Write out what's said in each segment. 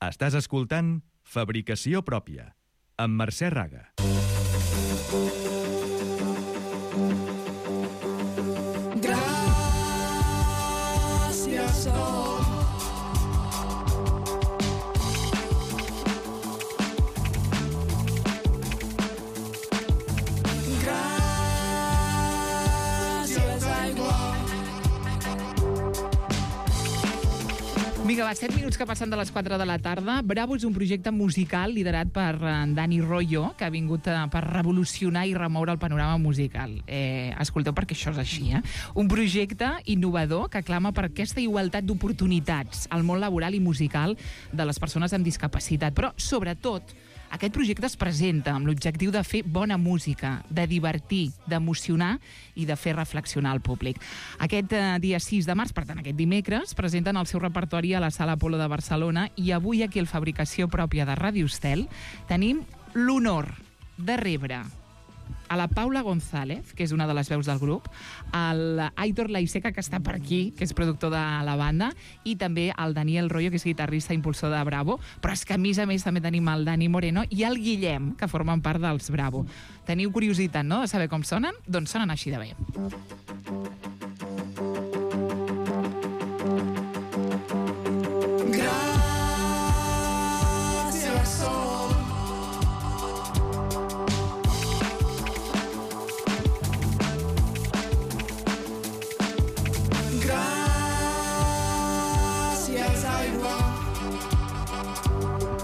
Estàs escoltant Fabricació Pròpia, amb Mercè Raga. Gràcies, Vinga, va, 7 minuts que passen de les 4 de la tarda. Bravo és un projecte musical liderat per Dani Royo, que ha vingut per revolucionar i remoure el panorama musical. Escolteu, perquè això és així, Un projecte innovador que clama per aquesta igualtat d'oportunitats al món laboral i musical de les persones amb discapacitat. Però, sobretot, aquest projecte es presenta amb l'objectiu de fer bona música, de divertir, d'emocionar i de fer reflexionar el públic. Aquest dia 6 de març, per tant aquest dimecres, presenten el seu repertori a la Sala Apolo de Barcelona i avui aquí al Fabricació Pròpia de Ràdio Estel tenim l'honor de rebre a la Paula González, que és una de les veus del grup, al Aitor Laiseca, que està per aquí, que és productor de la banda, i també al Daniel Royo, que és guitarrista i impulsor de Bravo, però és que a més també tenim el Dani Moreno i el Guillem, que formen part dels Bravo. Teniu curiositat, no?, de saber com sonen? Doncs sonen així de bé.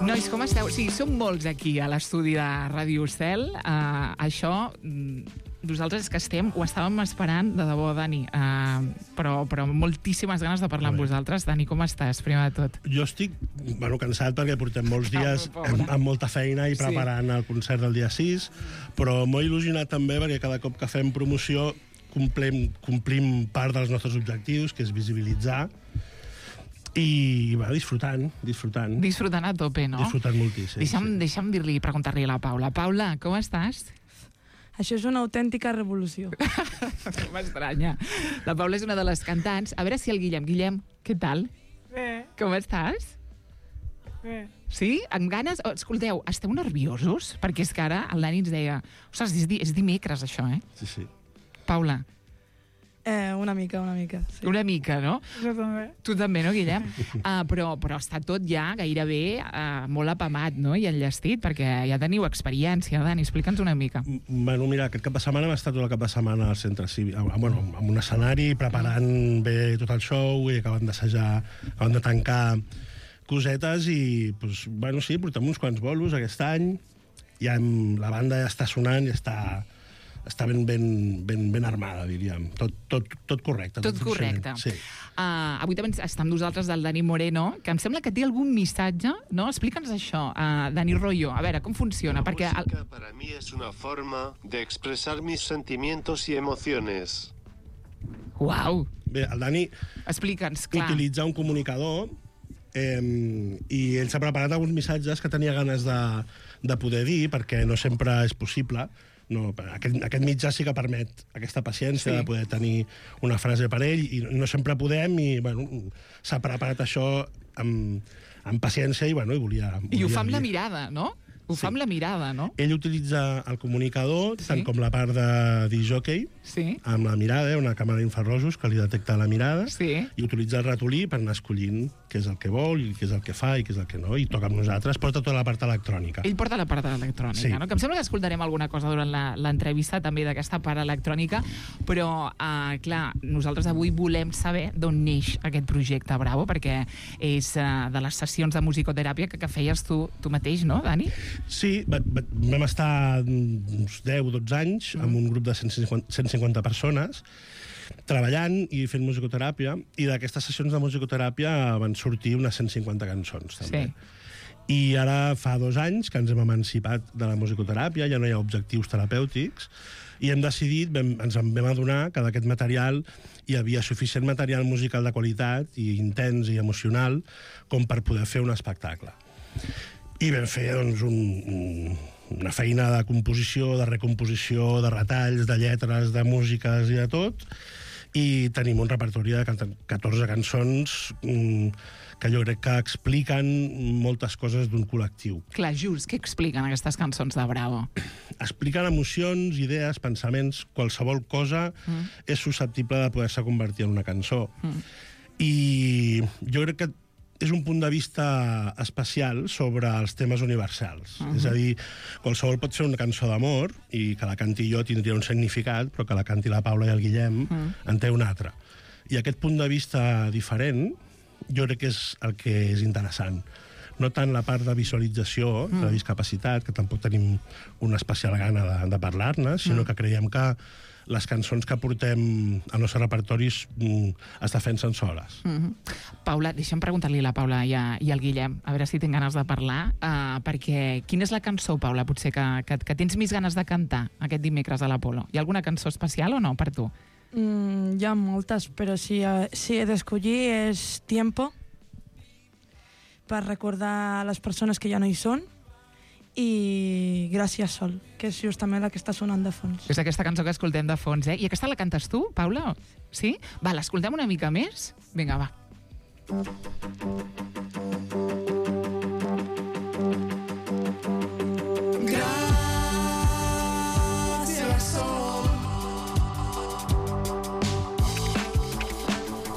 Nois, com esteu? Sí, som molts aquí a l'estudi de Ràdio Estel. Això, nosaltres és que ho estàvem esperant, de debò, Dani, però moltíssimes ganes de parlar amb vosaltres. Dani, com estàs, primer de tot? Jo estic cansat perquè portem molts dies amb molta feina i preparant el concert del dia 6, però molt il·lusionat també perquè cada cop que fem promoció complim part dels nostres objectius, que és visibilitzar, i va, disfrutant. Disfrutant a tope, no? Disfrutant moltíssim. Deixa'm preguntar-li a la Paula. Paula, com estàs? Això és una autèntica revolució. M'estranya. La Paula és una de les cantants. A veure si el Guillem... Guillem, què tal? Bé. Com estàs? Bé. Sí? Amb ganes? Escolteu, esteu nerviosos? Perquè és que ara el Dani ens deia... Ostres, és dimecres, això, Sí. Paula. Una mica, sí. Una mica, no? Jo també. Tu també, no, Guillem? Però està tot ja gairebé molt apamat, no?, i enllestit, perquè ja teniu experiència. Dani, explica'ns una mica. Bueno, mira, aquest cap de setmana hem estat tot el cap de setmana al centre cívic, amb un escenari, preparant bé tot el show, i acabant d'assajar, acabant de tancar cosetes, i, sí, portem uns quants bolos aquest any, ja la banda ja està sonant, ja està ben armada, diríem. Tot correcte. Tot correcte. Sí. Avui també està amb nosaltres el Dani Moreno, que em sembla que té algun missatge, no? Explica'ns això, Dani Royo. A veure, com funciona? La música para mí es una forma de expresar mis sentimientos y emociones. Uau! Bé, el Dani utilitza un comunicador i ell s'ha preparat alguns missatges que tenia ganes de poder dir, perquè no sempre és possible. No, aquest mitjà sí que permet aquesta paciència de poder tenir una frase per ell, i no sempre podem, i s'ha preparat això amb paciència, i volia... I ho fa amb la mirada, no? Ho fa amb la mirada, no? Ell utilitza el comunicador, tant com la part de disc-jockey, amb la mirada, una càmera d'infrarrojos que li detecta la mirada, i utilitza el ratolí per anar escollint què és el que vol, i què és el que fa, i què és el que no, i toca amb nosaltres, porta tota la part electrònica. Ell porta la part electrònica, no? Que em sembla que escoltarem alguna cosa durant l'entrevista també d'aquesta part electrònica, però, clar, nosaltres avui volem saber d'on neix aquest projecte Bravo, perquè és de les sessions de musicoteràpia que feies tu mateix, no, Dani? Sí, vam estar uns 10-12 anys amb un grup de 150 persones treballant i fent musicoteràpia, i d'aquestes sessions de musicoteràpia van sortir unes 150 cançons, també. I ara fa 2 anys que ens hem emancipat de la musicoteràpia, ja no hi ha objectius terapèutics, i hem decidit, ens en vam adonar que d'aquest material hi havia suficient material musical de qualitat i intens i emocional com per poder fer un espectacle. I vam fer una feina de composició, de recomposició, de retalls, de lletres, de músiques i de tot, i tenim un repertori de 14 cançons que jo crec que expliquen moltes coses d'un col·lectiu. Clar, just, què expliquen aquestes cançons de Bravo? Expliquen emocions, idees, pensaments, qualsevol cosa és susceptible de poder-se convertir en una cançó. I jo crec que és un punt de vista especial sobre els temes universals. És a dir, qualsevol pot fer una cançó d'amor i que la canti jo tindria un significat, però que la canti la Paula i el Guillem en té un altre. I aquest punt de vista diferent jo crec que és el que és interessant. No tant la part de visualització de la discapacitat, que tampoc tenim una especial gana de parlar-ne, sinó que creiem que les cançons que portem al nostre repertori es defensen soles. Paula, deixa'm preguntar-li a la Paula i al Guillem, a veure si tinc ganes de parlar, perquè quina és la cançó, Paula, potser que tens més ganes de cantar aquest dimecres a l'Apolo? Hi ha alguna cançó especial o no, per tu? Hi ha moltes, però si he d'escollir és Tiempo, per recordar a les persones que ja no hi són, i Gràcies Sol, que és justament la que està sonant de fons. És aquesta cançó que escoltem de fons, eh? I aquesta la cantes tu, Paula? Sí? Va, l'escoltem una mica més? Vinga, va.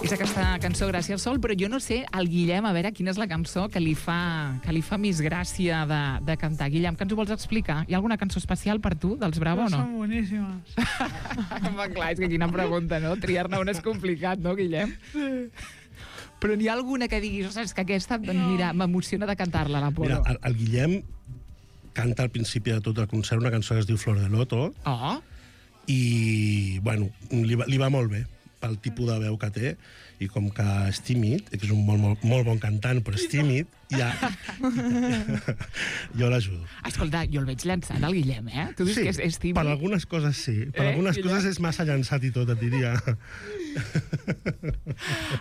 És aquesta cançó Gràcies Sol, però jo no sé al Guillem, a veure quina és la cançó que li fa més gràcia de cantar. Guillem, què ens ho vols explicar? Hi ha alguna cançó especial per tu, dels Bravo, o no? Són boníssimes. Clar, és que quina pregunta, no? Triar-ne una és complicat, no, Guillem? Sí. Però n'hi ha alguna que diguis, ostres, que aquesta, doncs mira, m'emociona de cantar-la, la Polo. Mira, el Guillem canta al principi de tot el concert una cançó que es diu Flor de Loto, i, bueno, li va molt bé pel tipus de veu que té, i com que és tímid, que és un molt bon cantant, però és tímid, ja jo l'ajudo. Escolta, jo el veig llançant, el Guillem, eh? Tu dius que és tímid? Per algunes coses sí. Per algunes coses és massa llançat i tot, et diria.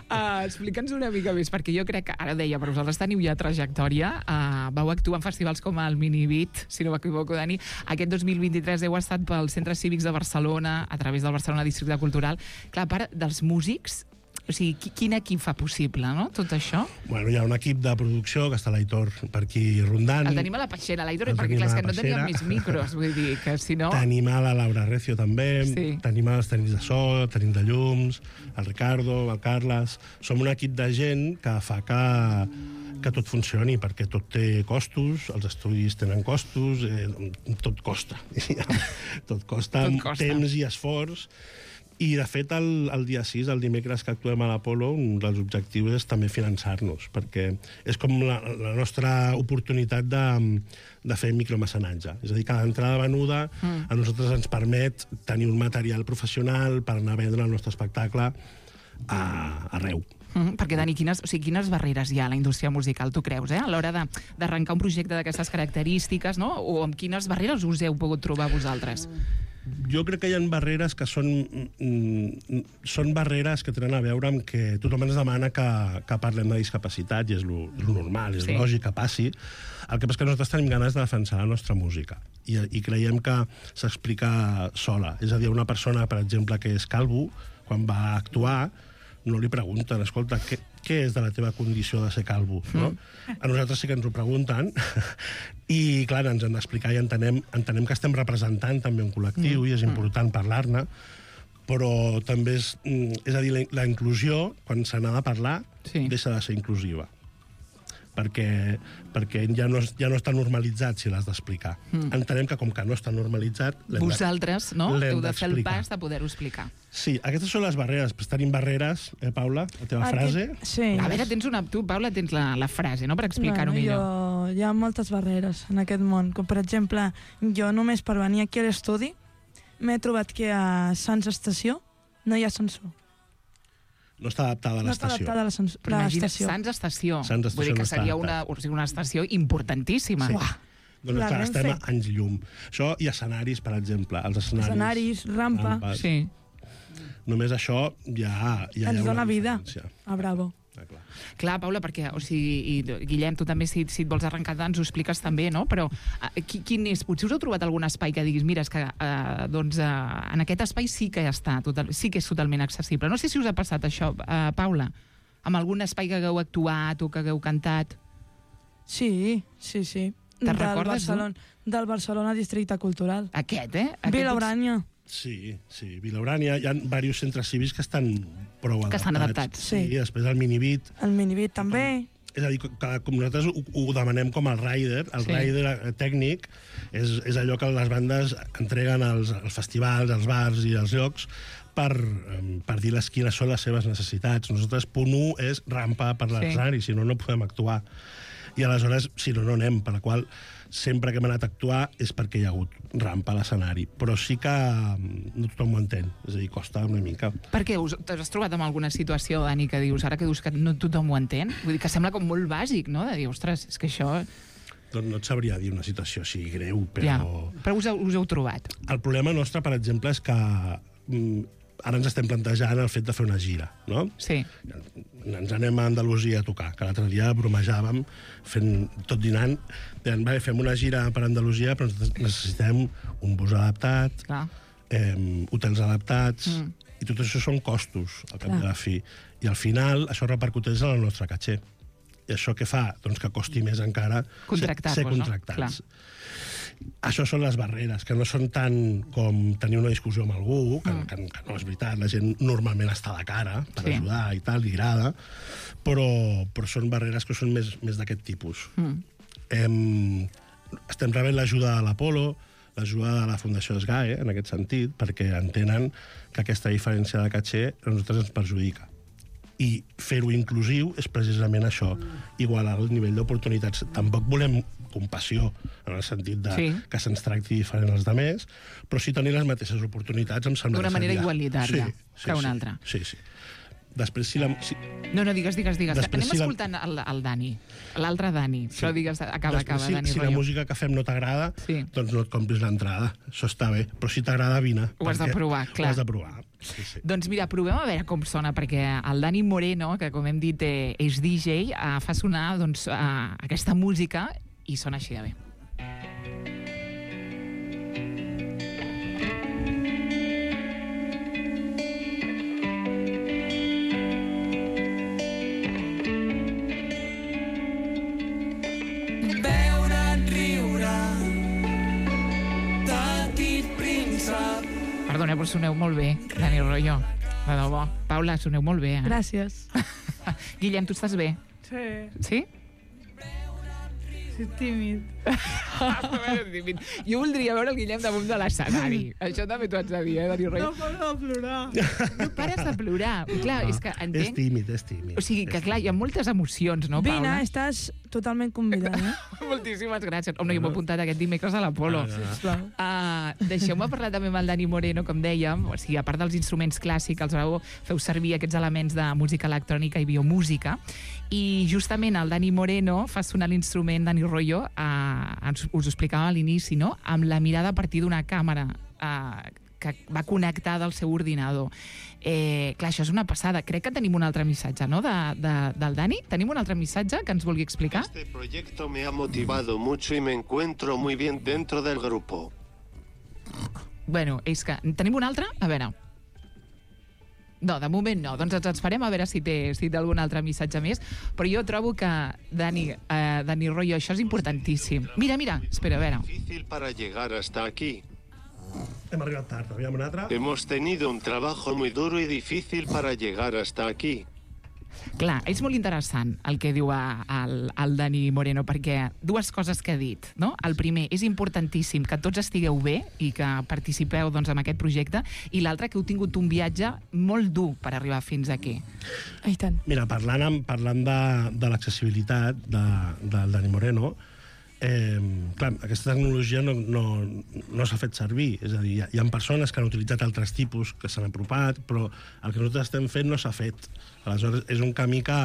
Explica'ns una mica més, perquè jo crec que, ara deia, però vosaltres teniu ja trajectòria, vau actuar en festivals com el Minibit, si no m'equivoco, Dani. Aquest 2023 heu estat pels centres cívics de Barcelona, a través del Barcelona Districte Cultural. Clar, a part dels músics, o sigui, quin equip fa possible, no?, tot això? Bueno, hi ha un equip de producció, que està l'Aitor per aquí rondant. El tenim a la Peixera, l'Aitor, perquè clar, és que no teníem més micros, vull dir, que si no... Tenim a la Laura Recio també, tenim els tècnics de so, tenim de llums, el Ricardo, el Carles... Som un equip de gent que fa que tot funcioni, perquè tot té costos, els estudis tenen costos, tot costa. Tot costa temps i esforç. I, de fet, el dia 6, el dimecres que actuem a l'Apolo, un dels objectius és també finançar-nos, perquè és com la nostra oportunitat de fer micromecenatge. És a dir, cada entrada venuda a nosaltres ens permet tenir un material professional per anar a vendre el nostre espectacle arreu. Perquè, Dani, quines barreres hi ha a la indústria musical, tu creus, a l'hora d'arrencar un projecte d'aquestes característiques, no? O amb quines barreres us heu pogut trobar vosaltres? Jo crec que hi ha barreres que són barreres que tenen a veure amb que tothom ens demana que parlem de discapacitat, i és lo normal, és lògic que passi. El que passa és que nosaltres tenim ganes de defensar la nostra música i creiem que s'explica sola. És a dir, una persona, per exemple, que és calvo, quan va actuar, no li pregunten, escolta, què és de la teva condició de ser calvo? No? A nosaltres sí que ens ho pregunten i, clar, ens han d'explicar i entenem que estem representant també un col·lectiu i és important parlar-ne, però també és a dir, la inclusió, quan se n'ha de parlar, deixa de ser inclusiva. Perquè ja no està normalitzat si l'has d'explicar. Entenem que com que no està normalitzat... Vosaltres, no? Heu de fer el pas de poder-ho explicar. Sí, aquestes són les barreres. Però tenim barreres, Paula? La teva frase? Sí. A veure, tu, Paula, tens la frase, no?, per explicar-ho millor. Hi ha moltes barreres en aquest món. Com, per exemple, jo només per venir aquí a l'estudi m'he trobat que a Sants Estació no hi ha ascensor. No està adaptada a l'estació. No està adaptada a l'estació. Sants Estació. Sants Estació. Vull dir que seria una estació importantíssima. Sí. Doncs clar, estem a anys llum. Això i escenaris, per exemple. Els escenaris, rampa. Sí. Només això ja ens dona vida a Bravo. Clar, Paula, perquè, o sigui, i Guillem, tu també, si et vols arrencar, ens ho expliques també, no? Però quin és? Potser us heu trobat algun espai que diguis, mira, és que en aquest espai sí que sí que és totalment accessible. No sé si us ha passat això, Paula, amb algun espai que hagueu actuat o que hagueu cantat. Sí. Te'n recordes, Del Barcelona Districte Cultural. Aquest, Vila Urània. Sí, Vila Urània. Hi ha diversos centres cívics que estan prou adaptats. Que estan adaptats. Sí. I després el Minibit. El Minibit també. És a dir, com nosaltres ho demanem com el rider. El rider tècnic és allò que les bandes entreguen als festivals, als bars i als llocs per dir-les quines són les seves necessitats. Nosaltres, punt 1 és rampa per l'escenari, si no, no podem actuar. I aleshores, si no, no anem, per la qual sempre que hem anat a actuar és perquè hi ha hagut rampa a l'escenari. Però sí que no tothom ho entén, és a dir, costa una mica. Per què? T'has trobat amb alguna situació, Dani, que dius, ara que dius que no tothom ho entén? Vull dir que sembla com molt bàsic, no? De dir, ostres, és que això... Doncs no et sabria dir una situació així greu, però... Ja, però us heu trobat. El problema nostre, per exemple, és que ara ens estem plantejant el fet de fer una gira, no? Sí. Ens anem a Andalusia a tocar, que l'altre dia bromejàvem, tot dinant, dèiem, fem una gira per Andalusia, però necessitem un bus adaptat, hotels adaptats, i tot això són costos, al cap de la fi. I al final això repercuteix en el nostre caché. I això què fa? Doncs que costi més encara ser contractats. No? Això són les barreres, que no són tant com tenir una discussió amb algú, que no és veritat, la gent normalment està de cara per ajudar i tal, i agrada, però són barreres que són més d'aquest tipus. Estem rebent l'ajuda de l'Apolo, l'ajuda de la Fundació SGAE, en aquest sentit, perquè entenen que aquesta diferència de caché a nosaltres ens perjudica. I fer-ho inclusiu és precisament això, igualar el nivell d'oportunitats. Tampoc volem compassió, en el sentit que se'ns tracti diferent als altres, però sí tenir les mateixes oportunitats, em sembla. D'una manera igualitària que una altra. Sí. Després, si la... No, digues. Anem escoltant el Dani, l'altre Dani, però digues, acaba, Dani. Si la música que fem no t'agrada, doncs no et compris l'entrada. Això està bé, però si t'agrada, vine. Ho has de provar, clar. Ho has de provar. Sí. Doncs mira, provem a veure com sona, perquè el Dani Moreno, que com hem dit és DJ, fa sonar aquesta música i sona així de bé. Perdoneu, però soneu molt bé, Dani Royo. De debò. Paula, soneu molt bé, Gràcies. Guillem, tu estàs bé? Sí. Sí? Sí, tímid. Jo voldria veure el Guillem damunt de l'escenari. Això també t'ho haig de dir, Dani Royo. No paro de plorar. No pares de plorar. Clar, és que entenc... És tímid. O sigui, que clar, hi ha moltes emocions, no, Paula? Vine, estàs totalment convidada. Moltíssimes gràcies. Home, jo m'he apuntat aquest dimecres a l'Apolo. Deixeu-me parlar també amb el Dani Moreno, com dèiem. O sigui, a part dels instruments clàssics, feu servir aquests elements de música electrònica i biomúsica. I justament el Dani Moreno fa sonar l'instrument, Dani Royo, us ho explicava a l'inici, no? Amb la mirada a partir d'una càmera que va connectada al seu ordinador. Clar, això és una passada. Crec que tenim un altre missatge, no?, del Dani. Tenim un altre missatge que ens vulgui explicar? Este proyecto me ha motivado mucho y me encuentro muy bien dentro del grupo. Bueno, és que... Tenim un altre? A veure... No, de moment no. Doncs ens esperem a veure si té algun altre missatge més. Però jo trobo que, Dani Royo, això és importantíssim. Mira, espera, a veure. Difícil para llegar hasta aquí. Hem arribat tard, aviam un altre. Hemos tenido un trabajo muy duro y difícil para llegar hasta aquí. Clar, és molt interessant el que diu el Dani Moreno, perquè dues coses que ha dit, no? El primer, és importantíssim que tots estigueu bé i que participeu doncs, en aquest projecte, i l'altre, que heu tingut un viatge molt dur per arribar fins aquí. I tant. Mira, parlant de l'accessibilitat del Dani Moreno, clar, aquesta tecnologia no s'ha fet servir, és a dir, hi ha persones que han utilitzat altres tipus que s'han apropat, però el que nosaltres estem fent no s'ha fet. Aleshores, és un camí que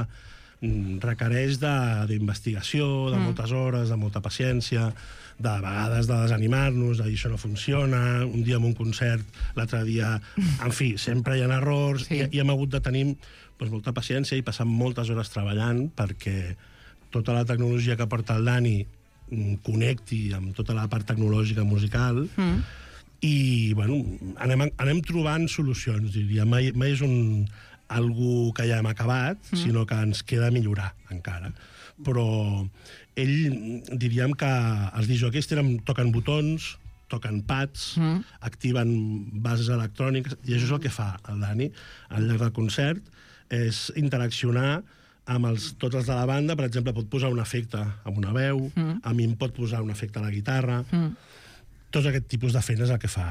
requereix d'investigació, de moltes hores, de molta paciència, de vegades de desanimar-nos, de dir això no funciona, un dia en un concert, l'altre dia... En fi, sempre hi ha errors, i hem hagut de tenir molta paciència i passar moltes hores treballant perquè tota la tecnologia que porta el Dani connecti amb tota la part tecnològica musical i, bueno, anem trobant solucions, diria. Mai és algú que ja hem acabat, sinó que ens queda millorar encara. Però diríem que els discjòqueis toquen botons, toquen pads, activen bases electròniques, i això és el que fa el Dani al llarg del concert, és interaccionar amb tots els de la banda. Per exemple, pot posar un efecte amb una veu, a mi em pot posar un efecte a la guitarra. Tots aquest tipus de feina és el que fa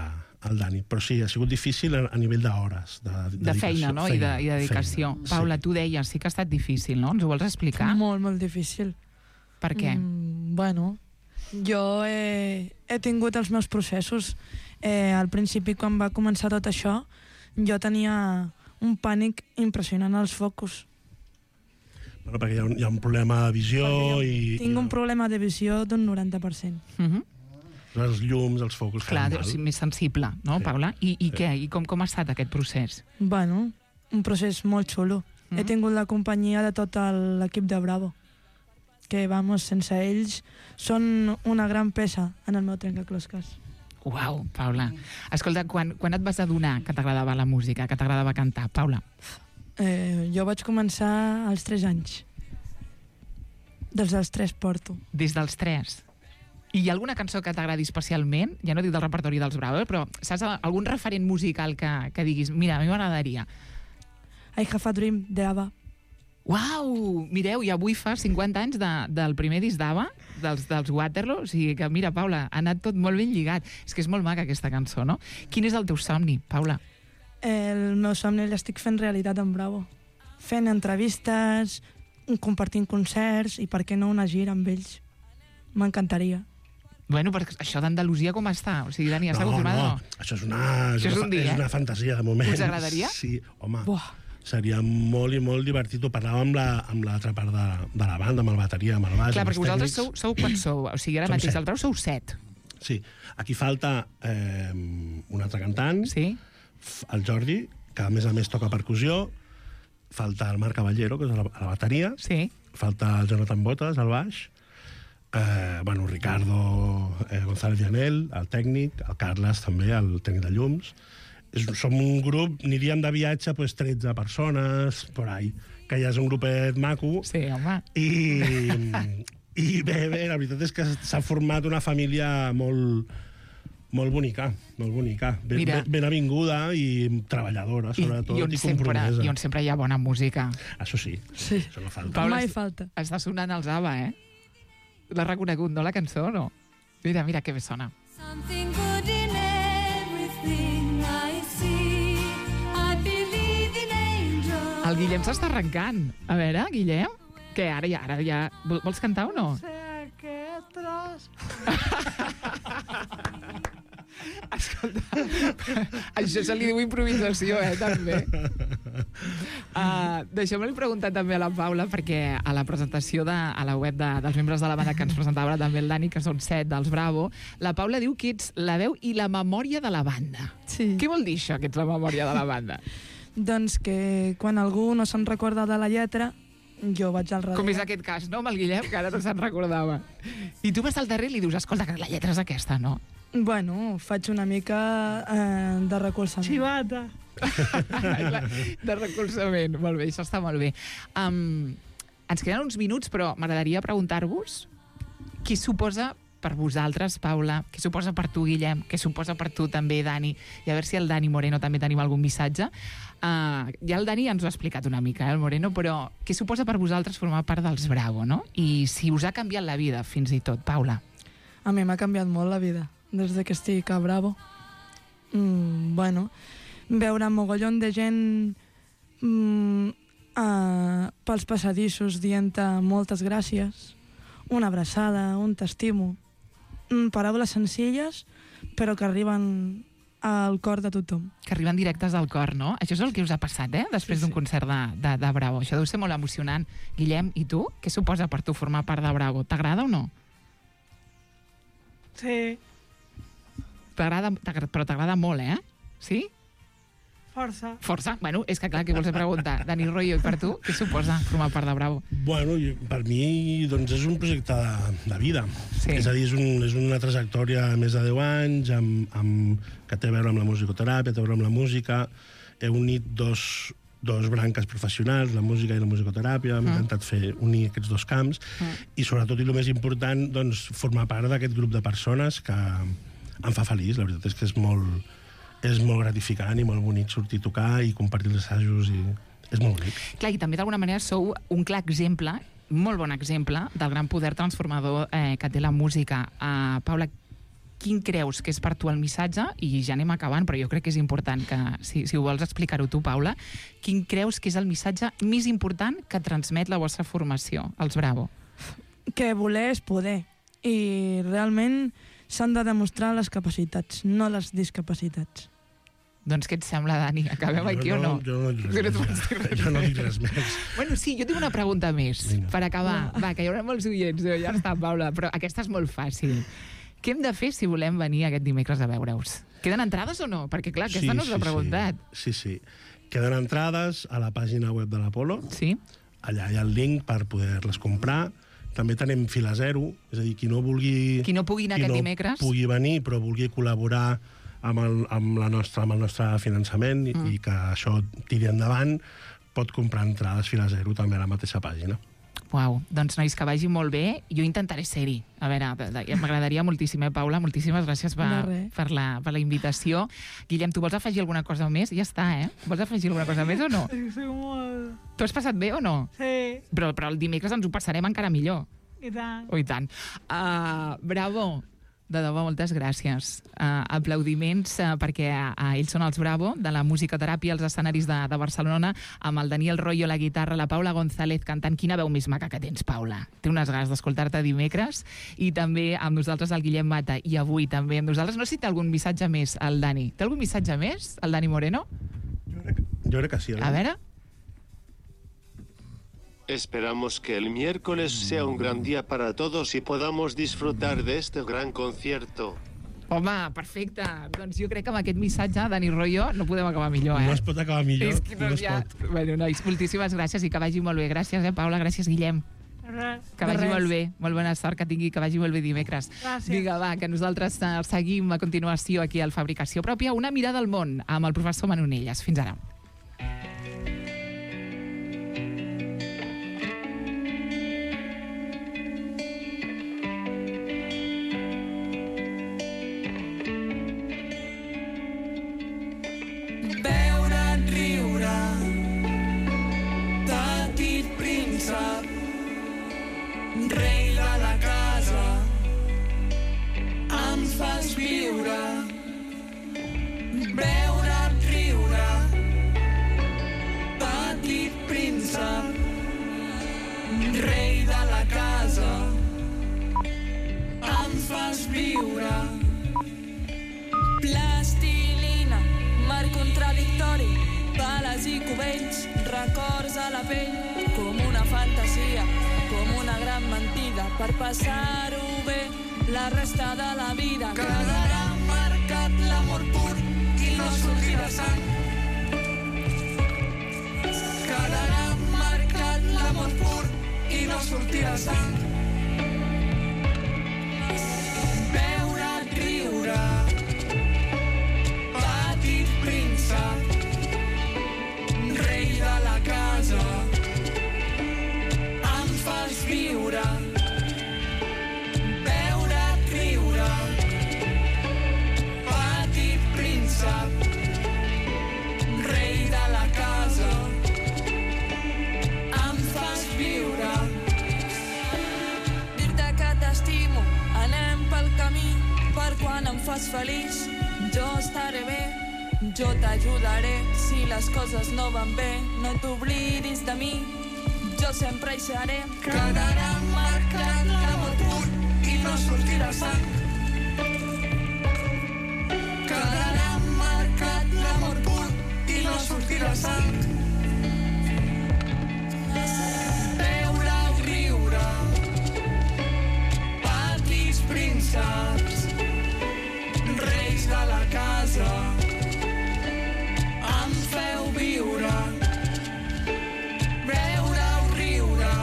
el Dani. Però sí, ha sigut difícil a nivell d'hores. De feina, no? I dedicació. Paula, tu deies, sí que ha estat difícil, no? Ens ho vols explicar? Molt, molt difícil. Per què? Bueno, jo he tingut els meus processos. Al principi, quan va començar tot això, jo tenia un pànic impressionant als focus. Bueno, perquè hi ha un problema de visió i... Tinc un problema de visió d'un 90%. Els llums, els focus... Clar, deu ser més sensible, no, Paula? I què? I com ha estat aquest procés? Bueno, un procés molt xulo. He tingut la companyia de tot l'equip de Bravo, que, vamos, sense ells són una gran peça en el meu trencaclosques. Uau, Paula. Escolta, quan et vas adonar que t'agradava la música, que t'agradava cantar, Paula? Jo vaig començar als 3 anys. Des dels 3 porto. Des dels 3? I hi ha alguna cançó que t'agradi especialment? Ja no dic del repertori dels Bravo, però saps algun referent musical que diguis, mira, a mi m'agradaria? I Have a Dream, d'ABBA. Uau! Mireu, i avui fa 50 anys del primer disc d'ABBA, dels Waterloo, o sigui que, mira, Paula, ha anat tot molt ben lligat. És que és molt maca aquesta cançó, no? Quin és el teu somni, Paula? El meu somni l'estic fent realitat amb Bravo. Fent entrevistes, compartint concerts i, per què no, una gira amb ells. M'encantaria. Bueno, perquè això d'Andalusia com està? O sigui, Dani, està confirmat o no? Això és una fantasia, de moment. Us agradaria? Sí, home. Seria molt i molt divertit. Ho parlàvem amb l'altra part de la banda, amb el bateria, amb el baix, clar, perquè vosaltres sou quants sou? O sigui, ara mateix al Brau sou 7. Sí. Aquí falta un altre cantant, el Jordi, que a més toca percussió, falta el Marc Caballero, que és a la bateria, falta el Jonathan Botas, al baix, Ricardo González Llanel, el tècnic, el Carles també, el tècnic de llums. Som un grup, aniríem de viatge, 13 persones, por ahí, que ja és un grupet maco. Sí, home. I bé, la veritat és que s'ha format una família molt bonica, molt bonica. Ben avinguda i treballadora, sobretot, i compromesa. I on sempre hi ha bona música. Això sí, això no falta. Paula, mai falta. Està sonant els ABBA, L'has reconegut, no, la cançó, no? Mira, que bé sona. Something good in everything I see. I believe in angels. El Guillem s'està arrencant. A veure, Guillem, què, ara ja... Vols cantar o no? Sé aquest tros. Escolta, això se li diu improvisació, també. Deixeu-me preguntar també a la Paula, perquè a la presentació a la web dels membres de la banda que ens presentava també el Dani, que són 7 dels Bravo, la Paula diu que ets la veu i la memòria de la banda. Sí. Què vol dir això, que ets la memòria de la banda? Doncs que quan algú no se'n recorda de la lletra, jo vaig al darrere. Com és aquest cas, no, amb el Guillem, que ara no se'n recordava. I tu vas al darrere i li dius, escolta, que la lletra és aquesta, no? Bueno, faig una mica de recolzament. Xivata! De recolzament. Molt bé, això està molt bé. Ens queden uns minuts, però m'agradaria preguntar-vos què suposa per vosaltres, Paula, què suposa per tu, Guillem, què suposa per tu també, Dani, i a veure si el Dani Moreno també tenim algun missatge. Ja el Dani ens ho ha explicat una mica, el Moreno, però què suposa per vosaltres formar part dels Bravo, no? I si us ha canviat la vida, fins i tot, Paula. A mi m'ha canviat molt la vida, des que estic a Bravo. Bueno, veure mogollon de gent pels passadissos dient-te moltes gràcies, una abraçada, un t'estimo, paraules senzilles però que arriben al cor de tothom. Que arriben directes al cor, no? Això és el que us ha passat, després d'un concert de Bravo. Això deu ser molt emocionant. Guillem, i tu? Què suposa per tu formar part de Bravo? T'agrada o no? Sí, Però t'agrada molt, Sí? força. Bueno, és que clar, què vols preguntar? Dani Royo, i per tu, què suposa formar part de Bravo? Bueno, per mi doncs, és un projecte de vida. Sí. És a dir, és una trajectòria de més de 10 anys que té a veure amb la musicoteràpia, té a veure amb la música. He unit dos branques professionals, la música i la musicoteràpia. Hem intentat unir aquests dos camps i, sobretot, i el més important, doncs, formar part d'aquest grup de persones que em fa feliç. La veritat és que és molt gratificant i molt bonic sortir a tocar i compartir els assajos i és molt bonic. Clar, i també d'alguna manera sou un clar exemple, molt bon exemple, del gran poder transformador que té la música. Paula, quin creus que és per tu el missatge? I ja anem acabant, però jo crec que és important que, si ho vols explicar-ho tu, Paula, quin creus que és el missatge més important que transmet la vostra formació, els Bravo? Que voler és poder. I realment s'han de demostrar les capacitats, no les discapacitats. Doncs què et sembla, Dani? Acabem aquí o no? Jo no dic res més. Bueno, sí, jo tinc una pregunta més, per acabar. Va, que hi haurà molts oients. Ja està, Paula, però aquesta és molt fàcil. Què hem de fer si volem venir aquest dimecres a veure-us? Queden entrades o no? Perquè, clar, aquesta no us l'he preguntat. Sí. Queden entrades a la pàgina web de l'Apolo. Sí. Allà hi ha el link per poder-les comprar. També tenim fila zero, és a dir, qui no pugui anar aquest dimecres, pugui venir, però vulgui col·laborar amb el nostre finançament i que això tiri endavant, pot comprar entrades fila zero també a la mateixa pàgina. Uau, doncs nois, que vagi molt bé. Jo intentaré ser-hi. A veure, m'agradaria moltíssim, Paula? Moltíssimes gràcies per la invitació. Guillem, tu vols afegir alguna cosa més? Ja està, Vols afegir alguna cosa més o no? Soc molt... Tu has passat bé o no? Sí. Però el dimecres ens ho passarem encara millor. I tant. Oh, i tant. Bravo. De debò, moltes gràcies. Aplaudiments perquè ells són els Bravo, de la musicoteràpia als escenaris de Barcelona, amb el Daniel Royo a la guitarra, la Paula González cantant. Quina veu més maca que tens, Paula. Té unes ganes d'escoltar-te dimecres. I també amb nosaltres el Guillem Mata. I avui també amb nosaltres. No sé si té algun missatge més, el Dani. Té algun missatge més, el Dani Moreno? Jo crec que sí. A veure... Esperamos que el miércoles sea un gran día para todos y podamos disfrutar de este gran concierto. Home, perfecte. Doncs jo crec que amb aquest missatge, Dani Royo, no podem acabar millor, No es pot acabar millor. És que no es pot. Bueno, nois, moltíssimes gràcies i que vagi molt bé. Gràcies, Paula, gràcies, Guillem. Que vagi molt bé. Molt bona sort que tingui, que vagi molt bé dimecres. Gràcies. Vinga, va, que nosaltres seguim a continuació aquí al Fabricació Pròpia. Una mirada al món amb el professor Manonelles. Fins ara. Rei de la casa, em fas viure, veure't riure, petit príncep, rei de la casa, em fas viure. Plastilina, mar contradictori, bales i cubells, records a la pell, com una fantasia, com una gran mentida, per passar-ho bé la resta de la vida. Quedarà marcat l'amor pur i no sortirà sang. Quedarà marcat l'amor pur i no sortirà sang. Veure't riure, petit príncep, rei de la casa, em fas viure, veure't riure, petit príncep, rei de la casa, em fas viure. Dir-te que t'estimo, anem pel camí, per quan em fas feliç, jo estaré bé, jo t'ajudaré, si les coses no van bé, no t'oblidis de mi, jo sempre hi seré. Quedarà marcat l'amor pur i no sortirà sang. Quedarà la sang. Veure o riure, petits prínceps, reis de la casa, em feu viure. Veure o riure,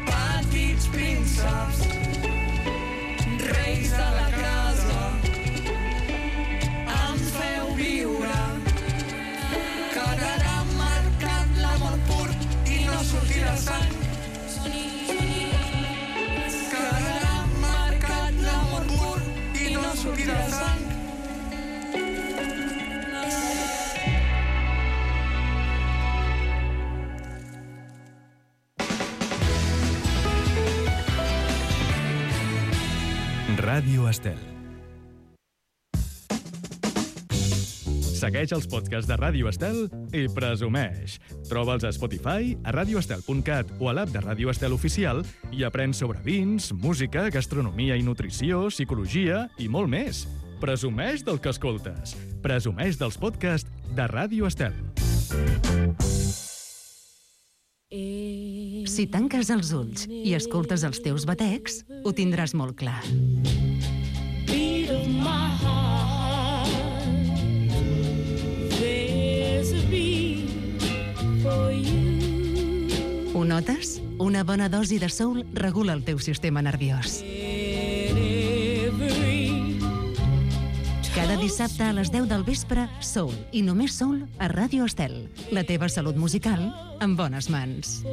petits prínceps, reis de la casa, em feu viure. Quedarà marcat l'amor pur i no sortirà sang. Quedarà marcat l'amor pur i no sortirà sang. Ràdio Estel. Segueix els podcasts de Ràdio Estel i presumeix. Troba'ls a Spotify, a radioestel.cat o a l'app de Ràdio Estel Oficial i aprèn sobre vins, música, gastronomia i nutrició, psicologia i molt més. Presumeix del que escoltes. Presumeix dels podcasts de Ràdio Estel. Si tanques els ulls i escoltes els teus batecs, ho tindràs molt clar. Beat of my heart, there's a beat for you. Ho notes? Una bona dosi de soul regula el teu sistema nerviós. Cada dissabte a les 10 del vespre, Soul, i només Soul, a Ràdio Estel. La teva salut musical en bones mans.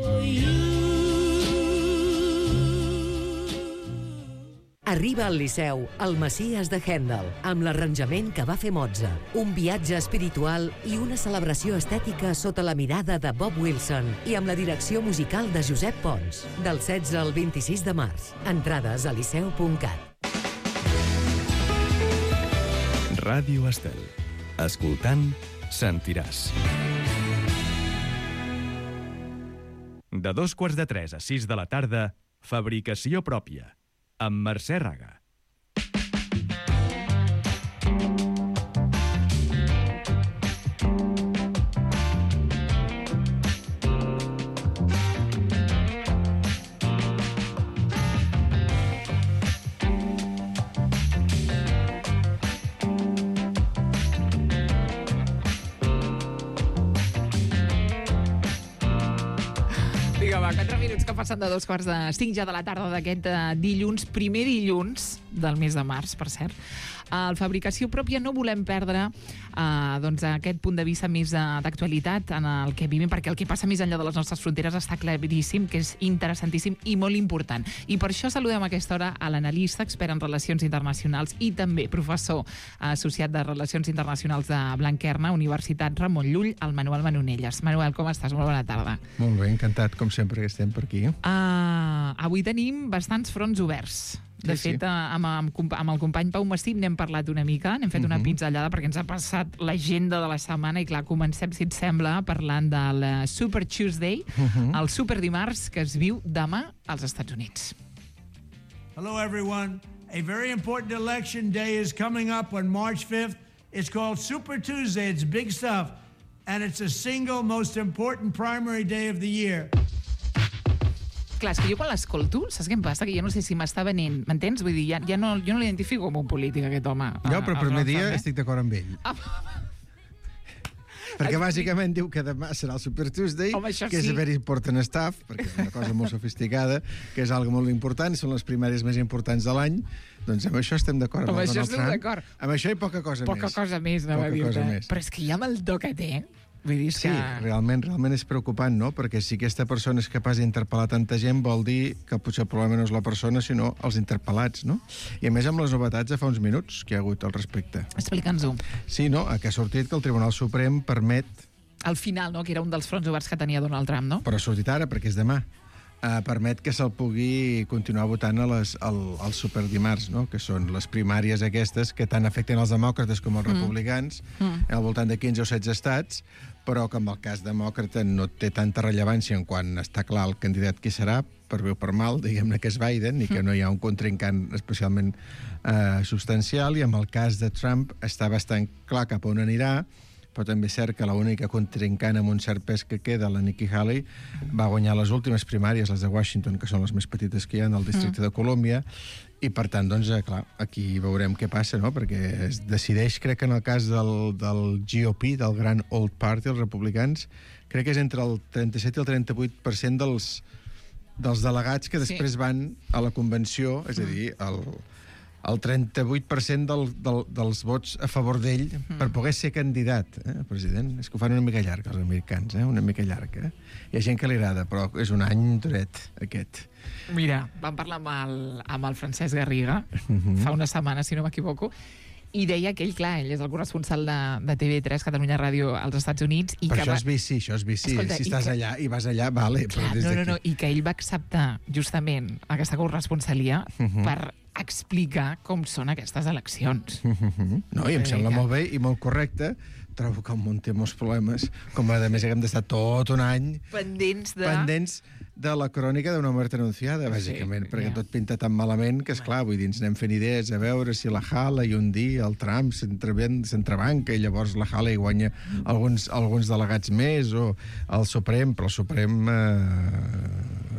Arriba al Liceu, el Messies de Händel, amb l'arranjament que va fer Mozart, un viatge espiritual i una celebració estètica sota la mirada de Bob Wilson i amb la direcció musical de Josep Pons, del 16 al 26 de març. Entrades a liceu.cat. Ràdio Estel. Escoltant, sentiràs. De 2:45 a 6 de la tarda, Fabricació pròpia, amb Mercè Raga. Vinga, va, 4 minuts que passen de 2:45 ja de la tarda d'aquest dilluns, primer dilluns del mes de març, per cert. Al Fabricació Pròpia no volem perdre doncs, aquest punt de vista més d'actualitat en el que vivim, perquè el que passa més enllà de les nostres fronteres està claríssim, que és interessantíssim i molt important. I per això saludem a aquesta hora a l'analista, expert en relacions internacionals i també professor associat de Relacions Internacionals de Blanquerna, Universitat Ramon Llull, el Manuel Manonelles. Manuel, com estàs? Molt bona tarda. Molt bé, encantat, com sempre, que estem per aquí. Avui tenim bastants fronts oberts. De fet, amb el company Pau Massip n'hem parlat una mica, n'hem fet una pinzellada perquè ens ha passat l'agenda de la setmana i clar, comencem, si et sembla, parlant del Super Tuesday, el Super Dimarts que es viu demà als Estats Units. Hello everyone. A very important election day is coming up on March 5th. It's called Super Tuesday. It's big stuff. And it's the single most important primary day of the year. Clar, és que jo quan l'escolto, saps què em passa? Que jo no sé si m'està venint, m'entens? Vull dir, jo no l'identifico com un polític, aquest home. Jo, però el primer dia estic d'acord amb ell. Perquè bàsicament diu que demà serà el Super Tuesday, que és very important stuff, perquè és una cosa molt sofisticada, que és algo molt important, són les primàries més importants de l'any. Doncs amb això estem d'acord amb el Donald Trump. Amb això i poca cosa més. Poca cosa més, no va dir-te. Però és que ja amb el do que té... Sí, realment és preocupant, no? Perquè si aquesta persona és capaç d'interpel·lar tanta gent, vol dir que potser el problema no és la persona, sinó els interpel·lats, no? I a més amb les novetats de fa uns minuts que hi ha hagut al respecte. Explica'ns-ho. Sí, no? Que ha sortit que el Tribunal Suprem permet... Al final, no? Que era un dels fronts oberts que tenia Donald Trump, no? Però ha sortit ara, perquè és demà. Permet que se'l pugui continuar votant al superdimarts, no? Que són les primàries aquestes que tant afecten els demòcrates com els republicans, al voltant de 15 o 16 estats, però que en el cas demòcrata no té tanta rellevància en quan està clar el candidat qui serà, per bé o per mal, diguem-ne que és Biden, i que no hi ha un contrincant especialment substancial, i en el cas de Trump està bastant clar cap on anirà, però també és cert que l'única contrincant amb un cert pes que queda, la Nikki Haley, va guanyar les últimes primàries, les de Washington, que són les més petites que hi ha, del districte de Colòmbia, i per tant, doncs, clar, aquí veurem què passa, no? Perquè es decideix, crec que en el cas del GOP, del Grand Old Party, els republicans, crec que és entre el 37 i el 38% dels delegats que després van a la convenció, és a dir, el 38% dels vots a favor d'ell per poder ser candidat, president. És que ho fan una mica llarg, els americans, una mica llarg. Hi ha gent que li agrada, però és un any duret, aquest. Mira, vam parlar amb el Francesc Garriga fa una setmana, si no m'equivoco, i deia que ell, clar, ell és el corresponsal de TV3, Catalunya Ràdio, als Estats Units. Però això és bici, Escolta, si estàs allà i vas allà, vale. Clar, no, i que ell va acceptar justament aquesta corresponsalia per explicar com són aquestes eleccions. No, i em sembla molt bé i molt correcte. Trobo que el món té molts problemes, com a més hem d'estar tot un any pendents de la crònica d'una mort anunciada, bàsicament, perquè tot pinta tan malament que, esclar, vull dir, ens anem fent idees a veure si la Haley un dia, el Trump s'entrebanca i llavors la Haley guanya alguns delegats més, o el Suprem, però el Suprem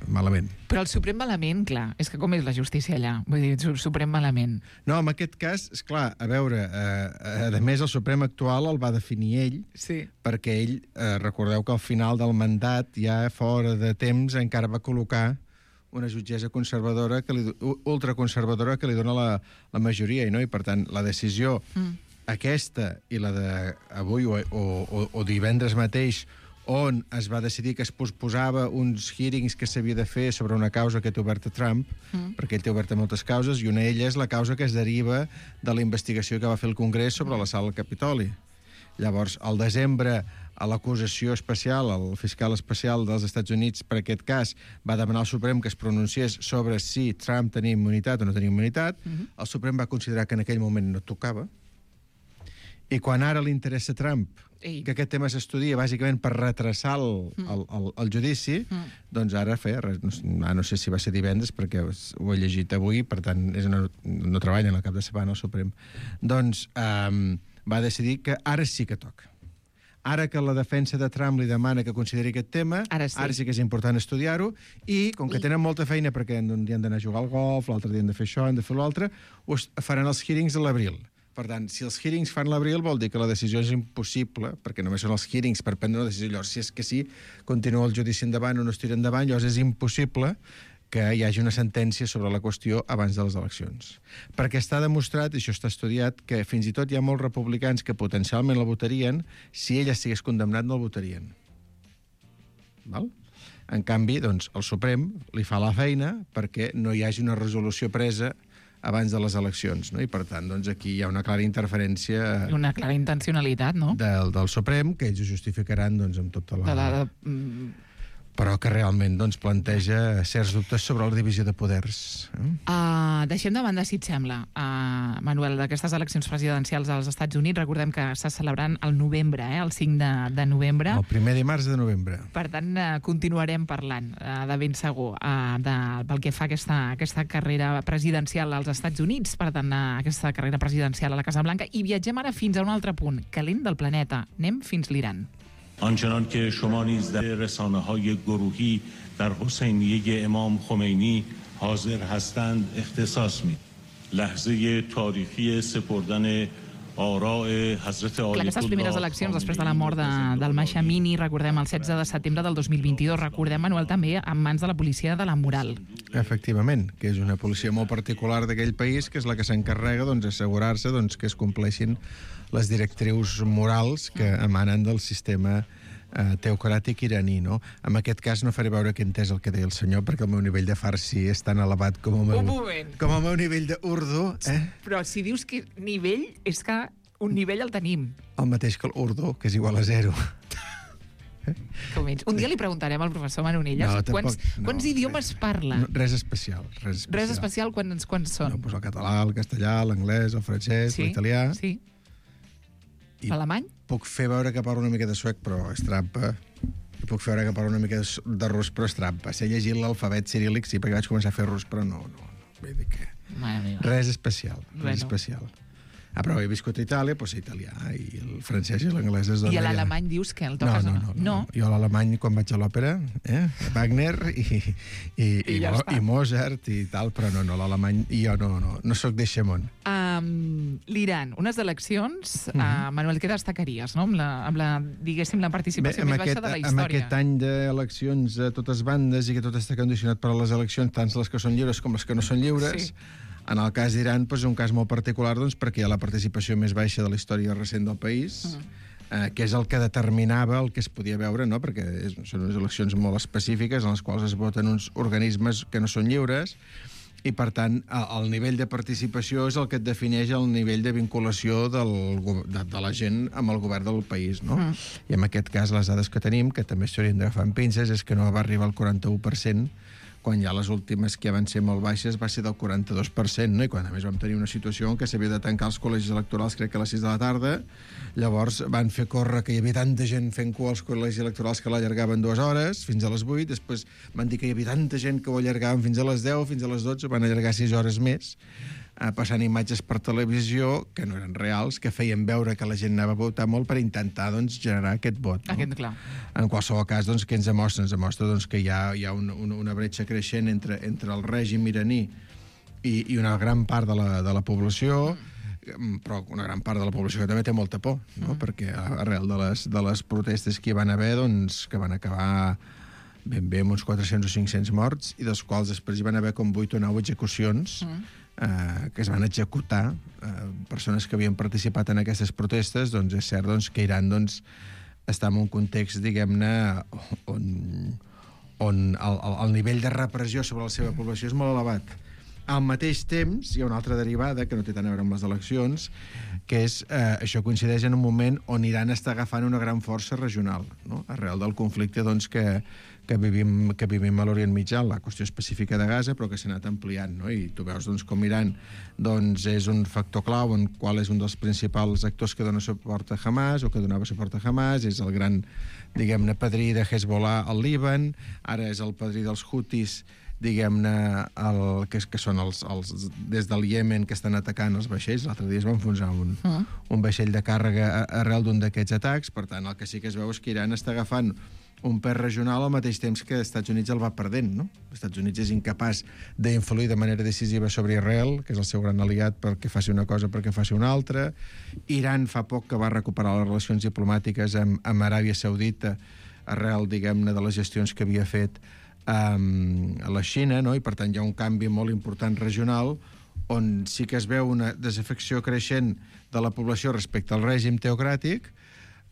malament. Però el Suprem malament, clar, és que com és la justícia allà? Vull dir, el Suprem malament. No, en aquest cas, esclar, a veure, a més el Suprem actual el va definir ell, perquè ell, recordeu que al final del mandat, ja fora de temps, encara va col·locar una jutgessa conservadora, ultraconservadora, que li dona la majoria, i per tant, la decisió aquesta i la d'avui o divendres mateix, on es va decidir que es posposava uns hearings que s'havia de fer sobre una causa que té oberta Trump, perquè ell té oberta moltes causes, i una d'elles és la causa que es deriva de la investigació que va fer el Congrés sobre la sala del Capitoli. Llavors, al desembre, a l'acusació especial, el fiscal especial dels Estats Units, per aquest cas, va demanar al Suprem que es pronunciés sobre si Trump tenia immunitat o no tenia immunitat. El Suprem va considerar que en aquell moment no tocava. I quan ara li interessa a Trump que aquest tema s'estudia bàsicament per retrasar el judici, doncs ara no sé si va ser divendres, perquè ho he llegit avui, per tant no treballen al cap de setmana al Suprem, doncs va decidir que ara sí que toca. Ara que la defensa de Trump li demana que consideri aquest tema, ara sí que és important estudiar-ho, i com que tenen molta feina perquè un dia han d'anar a jugar al golf, l'altre dia han de fer això, han de fer l'altre, faran els hearings a l'abril. Per tant, si els hearings fan l'abril, vol dir que la decisió és impossible, perquè només són els hearings per prendre una decisió. Llavors, si és que sí, continua el judici endavant o no es tira endavant, llavors és impossible que hi hagi una sentència sobre la qüestió abans de les eleccions. Perquè està demostrat, i això està estudiat, que fins i tot hi ha molts republicans que potencialment la votarien, si ella estigués condemnat no el votarien. Val? En canvi, doncs, el Suprem li fa la feina perquè no hi hagi una resolució presa abans de les eleccions, no? I per tant, doncs, aquí hi ha una clara interferència... Una clara intencionalitat, no? Del Suprem, que ells ho justificaran, doncs, amb tota la... Però que realment doncs, planteja certs dubtes sobre la divisió de poders. Deixem de banda, si et sembla, Manuel, d'aquestes eleccions presidencials als Estats Units. Recordem que s'està celebrant el novembre, el 5 de novembre. El primer dimarts de novembre. Per tant, continuarem parlant de ben segur pel que fa a aquesta carrera presidencial als Estats Units, per tant, aquesta carrera presidencial a la Casa Blanca. I viatgem ara fins a un altre punt, calent del planeta. Anem fins l'Iran. آنچنان که شما نیز در رسانه‌های گروهی در حسینیه امام خمینی حاضر هستند اختصاص می‌دهید. لحظه تاریخی سپردن Aquestes primeres eleccions després de la mort del Mahsa Amini, recordem el 16 de setembre del 2022, recordem, Manuel, també en mans de la policia de la moral. Efectivament, que és una policia molt particular d'aquell país, que és la que s'encarrega d'assegurar-se que es compleixin les directrius morals que emanen del sistema teocràtic iraní, no? En aquest cas no faré veure que he entès el que deia el senyor, perquè el meu nivell de farsi és tan elevat com el meu nivell d'urdu. Però si dius que nivell, és que un nivell el tenim. El mateix que l'urdu, que és igual a 0. Un dia li preguntarem al professor Manonelles quants idiomes parla. Res especial. Res especial, quants són? No, doncs el català, el castellà, l'anglès, el francès, l'italià... Sí. L'alemany? Puc fer veure que parlo una mica de suec, però és trampa. I puc fer veure que parlo una mica de rus, però és trampa. Sé llegir l'alfabet ciríl·lic, sí, perquè vaig començar a fer rus, però no. Vull dir que... Res especial. Però he viscut a Itàlia, doncs italià, i el francès i l'anglès es dona... I a l'alemany dius que el toques o no? No. Jo a l'alemany, quan vaig a l'òpera, Wagner i Mozart i tal, però no, l'alemany... Jo no soc d'eixe món. L'Iran, unes eleccions, Manuel, què destacaries, no? amb la diguéssim, la participació més baixa de la història. Amb aquest any d'eleccions a totes bandes i que tot està condicionat per a les eleccions, tant les que són lliures com les que no són lliures, en el cas d'Iran és un cas molt particular perquè hi ha la participació més baixa de la història recent del país, que és el que determinava el que es podia veure, no? Perquè són unes eleccions molt específiques en les quals es voten uns organismes que no són lliures, i, per tant, el nivell de participació és el que et defineix el nivell de vinculació de la gent amb el govern del país, no? I en aquest cas, les dades que tenim, que també s'haurien d'agafar amb pinces, és que no va arribar al 41%, quan ja les últimes que van ser molt baixes va ser del 42%, no? I quan a més vam tenir una situació en què s'havia de tancar els col·legis electorals, crec que a les 6 de la tarda, llavors van fer córrer que hi havia tanta gent fent cua als col·legis electorals que l'allargaven 2 hores, fins a les 8, després van dir que hi havia tanta gent que ho allargaven fins a les 10, fins a les 12, van allargar 6 hores més, passant imatges per televisió que no eren reals, que feien veure que la gent anava a votar molt per intentar generar aquest vot. Clar. En qualsevol cas, què ens demostra? Ens demostra que hi ha una bretxa creixent entre el règim iraní i una gran part de la població, però una gran part de la població que també té molta por, no? Perquè arrel de les protestes que hi van haver, que van acabar ben bé amb uns 400 o 500 morts, i dels quals després hi van haver com 8 o 9 execucions que es van executar, persones que havien participat en aquestes protestes. Doncs és cert que Iran està en un context, diguem-ne, on el nivell de repressió sobre la seva població és molt elevat. Al mateix temps, hi ha una altra derivada que no té tant a veure amb les eleccions, que és, això coincideix en un moment on Iran està agafant una gran força regional, no? Arrel del conflicte que vivim a l'Orient Mitjà, la qüestió específica de Gaza, però que s'ha anat ampliant, no? I tu veus com Iran és un factor clau, en qual és un dels principals actors que dona suport a Hamas, o que donava suport a Hamas, és el gran, diguem-ne, padrí de Hezbollah al Líban, ara és el padrí dels Houthis, diguem-ne, que són des del Iemen, que estan atacant els vaixells. L'altre dia es va enfonsar un vaixell de càrrega arrel d'un d'aquests atacs. Per tant, el que sí que es veu és que Iran està agafant un pes regional al mateix temps que els Estats Units el va perdent, no? Els Estats Units és incapaç d'influir de manera decisiva sobre Israel, que és el seu gran aliat, perquè faci una cosa perquè faci una altra. Iran fa poc que va recuperar les relacions diplomàtiques amb Aràbia Saudita arrel, diguem-ne, de les gestions que havia fet a la Xina, no? I per tant hi ha un canvi molt important regional on sí que es veu una desafecció creixent de la població respecte al règim teocràtic,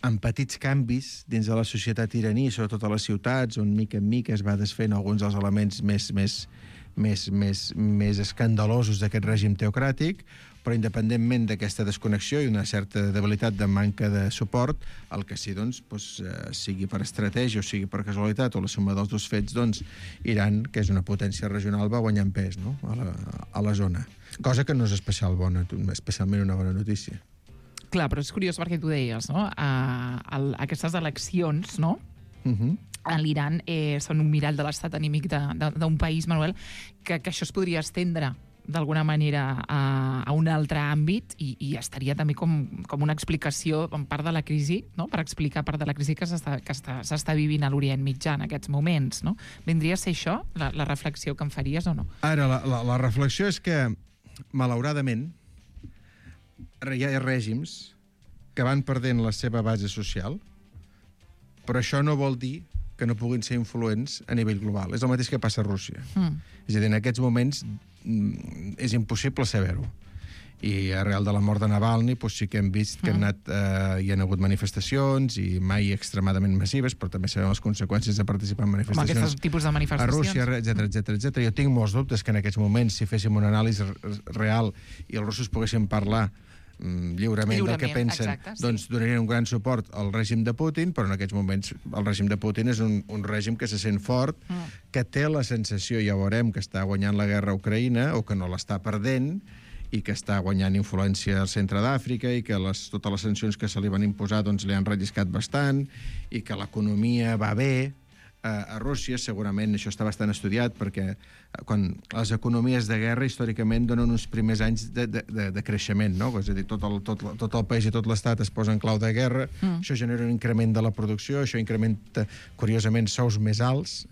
amb petits canvis dins de la societat iraní, sobretot a les ciutats, on mica en mica es va desfent alguns dels elements més escandalosos d'aquest règim teocràtic, però independentment d'aquesta desconnexió i una certa debilitat de manca de suport, el que sí, sigui per estratègia o sigui per casualitat o la suma dels dos fets, Iran, que és una potència regional, va guanyant pes, no? a la zona. Cosa que no és especialment una bona notícia. Clar, però és curiós perquè tu deies, no? Aquestes eleccions, no? A l'Iran són un mirall de l'estat anímic d'un país, Manuel, que això es podria estendre d'alguna manera a un altre àmbit i estaria també com una explicació en part de la crisi, no? Per explicar part de la crisi que s'està vivint a l'Orient Mitjà en aquests moments, no? Vindria a ser això la reflexió que em faries o no? Ara, la reflexió és que, malauradament, hi ha règims que van perdent la seva base social, però això no vol dir que no puguin ser influents a nivell global. És el mateix que passa a Rússia. És a dir, en aquests moments és impossible saber-ho. I arrel de la mort de Navalny sí que hem vist que hi han hagut manifestacions i mai extremadament massives, però també sabem les conseqüències de participar en manifestacions aquests tipus de manifestacions a Rússia, etc. Jo tinc molts dubtes que en aquests moments, si féssim una anàlisi real i els russos poguessin parlar lliurement del que pensen, doncs donarien un gran suport al règim de Putin, però en aquests moments el règim de Putin és un règim que se sent fort, que té la sensació, ja veurem, que està guanyant la guerra a Ucraïna o que no l'està perdent, i que està guanyant influència al centre d'Àfrica i que totes les sancions que se li van imposar li han relliscat bastant i que l'economia va bé, a Rússia, segurament això està bastant estudiat, perquè quan les economies de guerra històricament donen uns primers anys de creixement, no? És a dir, tot el país i tot l'estat es posa en clau de guerra, això genera un increment de la producció, això incrementa, curiosament, sous més alts,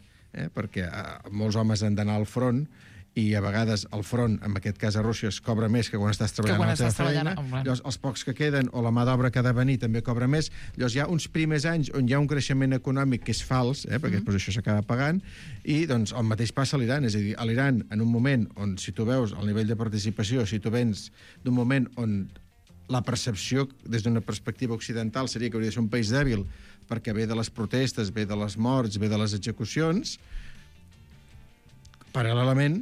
perquè molts homes han d'anar al front, i a vegades el front, en aquest cas a Rússia, es cobra més que quan estàs treballant a la teva feina. Llavors, els pocs que queden, o la mà d'obra que ha de venir, també cobra més. Llavors, hi ha uns primers anys on hi ha un creixement econòmic que és fals, perquè després això s'acaba pagant, i doncs el mateix passa a l'Iran. És a dir, a l'Iran, en un moment on, si tu veus el nivell de participació, si tu vens d'un moment on la percepció, des d'una perspectiva occidental, seria que hauria de ser un país dèbil, perquè ve de les protestes, ve de les morts, ve de les execucions, paral·lelament,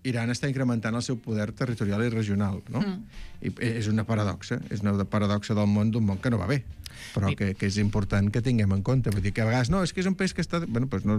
Iran està incrementant el seu poder territorial i regional, no? I és una paradoxa del món, d'un món que no va bé, però que és important que tinguem en compte. Vull dir que a vegades, no, és que és un país que està... Bueno, doncs no,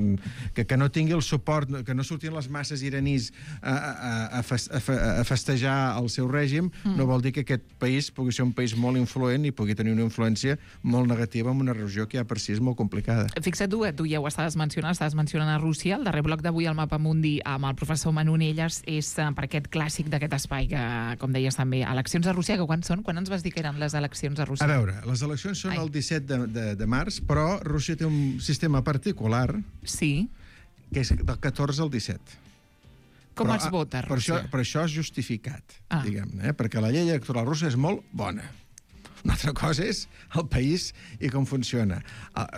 que no tingui el suport, que no surtin les masses iranís a festejar el seu règim, no vol dir que aquest país pugui ser un país molt influent i pugui tenir una influència molt negativa en una regió que ja per si és molt complicada. Fixa't, tu ja ho estaves mencionant a Rússia. El darrer bloc d'avui al Mapa Mundi amb el professor Manu Nelles és per aquest clàssic d'aquest espai que, com deies també, eleccions a Rússia, que quan són? Quan ens vas dir que eren les eleccions a Rússia? A veure, les eleccions són el 17 de març, però Rússia té un sistema particular que és del 14 al 17. Com es vota a Rússia? Per això és justificat, diguem-ne, perquè la llei electoral russa és molt bona. Una altra cosa és el país i com funciona.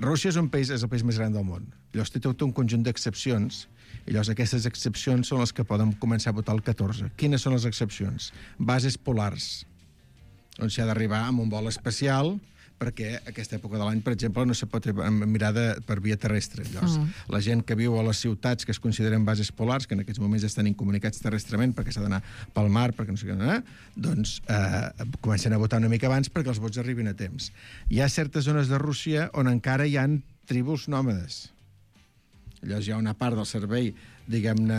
Rússia és el país més gran del món. Llavors té tot un conjunt d'excepcions, i llavors aquestes excepcions són les que poden començar a votar el 14. Quines són les excepcions? Bases polars, on s'ha d'arribar amb un vol especial, perquè aquesta època de l'any, per exemple, no se pot mirar per via terrestre. Llavors, la gent que viu a les ciutats que es consideren bases polars, que en aquests moments estan incomunicats terrestrement perquè s'ha d'anar pel mar, perquè no sé què, doncs comencen a votar una mica abans perquè els vots arribin a temps. Hi ha certes zones de Rússia on encara hi ha tribus nòmades. Llavors hi ha una part del servei, diguem-ne,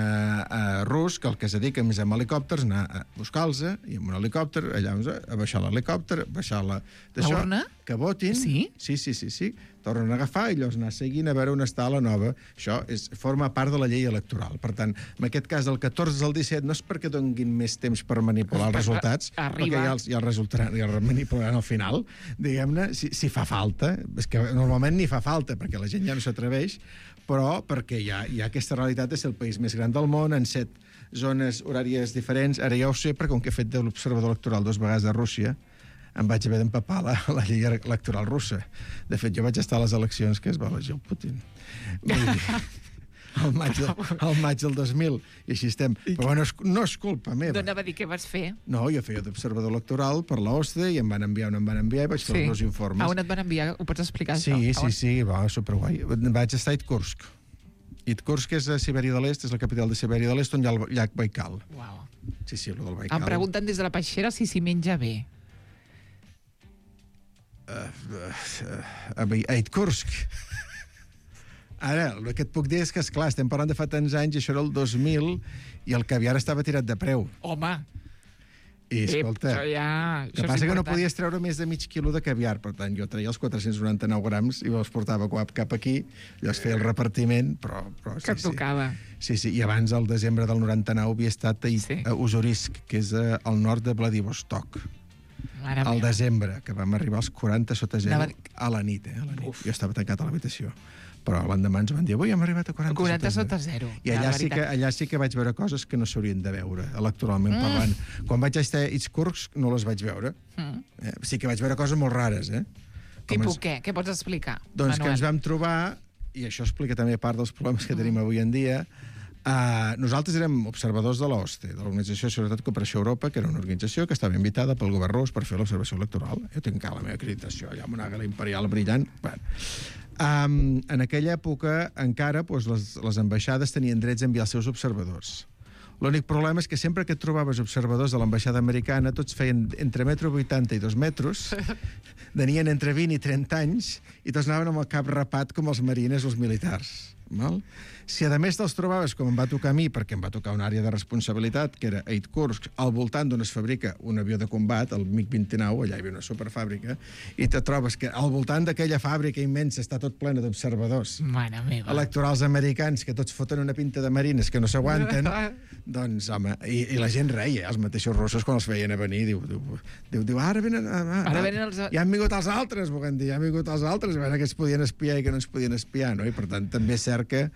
rus, que el que es dedica més amb helicòpters, anar a buscar-los, i amb un helicòpter, allà a baixar l'helicòpter, baixar l'urna? Que votin. Sí? Sí. Tornen a agafar i llavors anar seguint a veure on està la nova. Això forma part de la llei electoral. Per tant, en aquest cas, del 14 al 17, no és perquè donguin més temps per manipular els resultats, perquè ja el manipularan al final, diguem-ne, si fa falta. És que normalment ni fa falta, perquè la gent ja no s'atreveix, però perquè hi ha aquesta realitat de ser el país més gran del món, en 7 zones horàries diferents. Ara ja ho sé, perquè com que he fet de l'observador electoral 2 vegades de Rússia, em vaig haver d'empapar la llei electoral russa. De fet, jo vaig estar a les eleccions que es va elegir el Putin. Al maig del 2000, i així estem. Però no és culpa meva. D'on anava a dir què vas fer? No, jo feia d'observador electoral per la OSCE i em van enviar i vaig fer els 2 informes. A on et van enviar? Ho pots explicar, això? Sí, va, superguai. Vaig estar a Itkursk. Itkursk és a Sibèria de l'Est, és la capital de Sibèria de l'Est, on hi ha el llac Baikal. Uau. Sí, el del Baikal. Em pregunten des de la peixera si s'hi menja bé. A Itkursk. Ara, el que et puc dir és que, esclar, estem parlant de fa tants anys, això era el 2000, i el caviar estava tirat de preu. Home! I, escolta, el que passa que no podies treure més de mig quilo de caviar, per tant, jo treia els 499 grams i els portava cap aquí, llavors feia el repartiment, però que tocava. Sí, i abans, al desembre del 99, havia estat a Ussurisk, que és al nord de Vladivostok. Al desembre, que vam arribar als 40 sota 0 a la nit. Jo estava tancat a l'habitació. Però l'endemà ens van dir, avui hem arribat a 40 sota 0. I allà sí que vaig veure coses que no s'haurien de veure, electoralment parlant. Quan vaig estar a Itkursk no les vaig veure. Sí que vaig veure coses molt rares. Tipus què? Què pots explicar? Doncs que ens vam trobar, i això explica també part dels problemes que tenim avui en dia, nosaltres érem observadors de l'OSCE, de l'Organització de Seguretat i Cooperació a Europa, que era una organització que estava invitada pel govern rus per fer l'observació electoral. Jo tinc la meva acreditació allà amb una àguila imperial brillant. En aquella època encara les ambaixades tenien drets a enviar els seus observadors. L'únic problema és que sempre que et trobaves observadors de l'ambaixada americana, tots feien entre 1,80 m i 2 metres, tenien entre 20 i 30 anys, i tots anaven amb el cap rapat com els marines o els militars. Val? Si a més te'ls trobaves, com em va tocar a mi, perquè em va tocar una àrea de responsabilitat, que era 8 Kursk, al voltant d'on es fabrica un avió de combat, el MiG-29, allà hi havia una superfàbrica, i te trobes que al voltant d'aquella fàbrica immensa està tot plena d'observadors electorals americans que tots foten una pinta de marines que no s'aguanten, doncs, home, i la gent reia, els mateixos russos, quan els veien a venir, diu ara venen ja han vingut els altres, volem dir, ja han vingut els altres, a veure que es podien espiar i que no es podien espiar, no? I per tant també és cert que